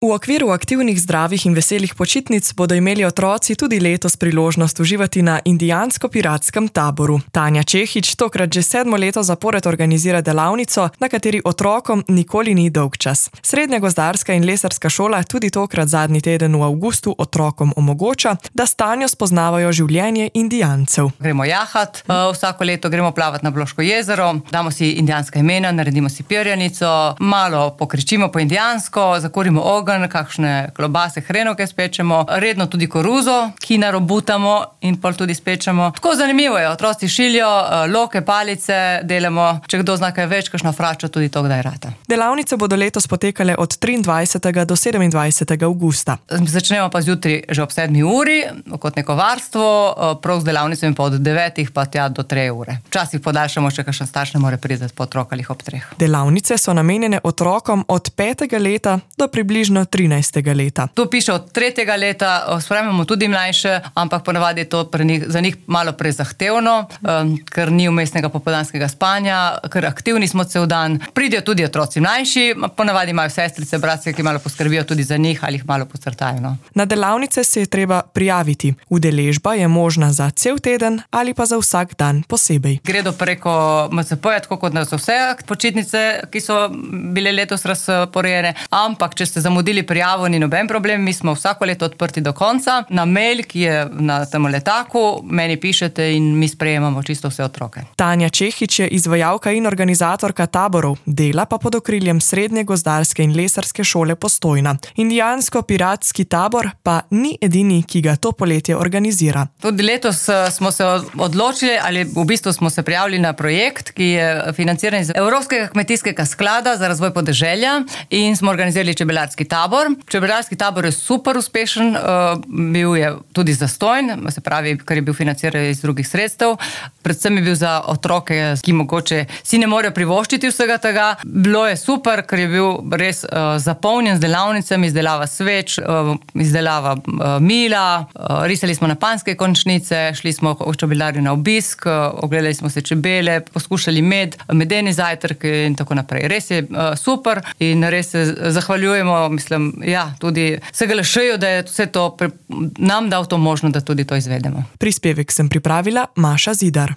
V okviru aktivnih, zdravih in veselih počitnic bodo imeli otroci tudi letos priložnost uživati na indijansko-piratskem taboru. Tanja Čehič tokrat že 7. leto zapored organizira delavnico, na kateri otrokom nikoli ni dolgčas. Srednja gozdarska in lesarska šola tudi tokrat zadnji teden v avgustu otrokom omogoča, da s Tanjo spoznavajo življenje Indijancev. Gremo jahat, vsako leto gremo plavati na Bloško jezero, damo si indijanska imena, naredimo si perjanico, malo pokričimo po indijansko, zakurimo ogenj, kakšne klobase, hrenovke spečemo, redno tudi koruzo, ki narobutamo in pol tudi spečemo. Tako zanimivo je, otroci šiljo, loke, palice delamo, če kdo zna kaj več, kakšno fračo, tudi to kdaj rata. Delavnice bodo letos potekale od 23. do 27. avgusta. Začnemo pa zjutraj že ob 7. uri, kot neko varstvo, prav z delavnicami pa od 9. pa tja do 3 ure. Včasih podaljšamo, če kakšen starš ne more priti po otrokalih ob 3. Delavnice so namenjene otrokom od 5. leta do približno 13. leta. Tu piše od 3. leta, sprejmemo tudi mlajše, ampak ponavadi je to za njih malo prezahtevno, ker ni vmesnega popoldanskega spanja, ker aktivni smo cel dan. Pridejo tudi otroci mlajši, ponavadi imajo sestrice, bratce, ki malo poskrbijo tudi za njih ali jih malo posrtajo. No. Na delavnice se je treba prijaviti. Udeležba je možna za cel teden ali pa za vsak dan posebej. Gredo preko MCP-ja, tako kot na vse počitnice, ki so bile letos razporejene, ampak če ste zamudili prijavo, ni noben problem, mi smo vsako leto odprti do konca. Na mail, ki je na tem letaku, meni pišete in mi sprejemamo čisto vse otroke. Tanja Čehič je izvajalka in organizatorka taborov, dela pa pod okriljem Srednje gozdarske in lesarske šole Postojna. Indijansko-piratski tabor pa ni edini, ki ga to poletje organizira. Tudi letos smo se odločili, ali v bistvu smo se prijavili na projekt, ki je financiran iz Evropskega kmetijskega sklada za razvoj podeželja in smo organizirali čebelarski tabor. Čebelarski tabor je super uspešen, bil je tudi zastonj, se pravi, ker je bil financiran iz drugih sredstev. Predvsem je bil za otroke, ki mogoče si ne morejo privoščiti vsega tega. Bilo je super, ker je bil res zapolnjen z delavnicami, izdelava sveč, izdelava mila, risali smo na panjske končnice, šli smo v čebelarju na obisk, ogledali smo se čebele, poskušali medeni zajtrk in tako naprej. Res je super in res se zahvaljujemo, mislim, tudi SGLŠ-ju, da je vse to nam dal to možnost, da tudi to izvedemo. Prispevek sem pripravila Maša Zidar.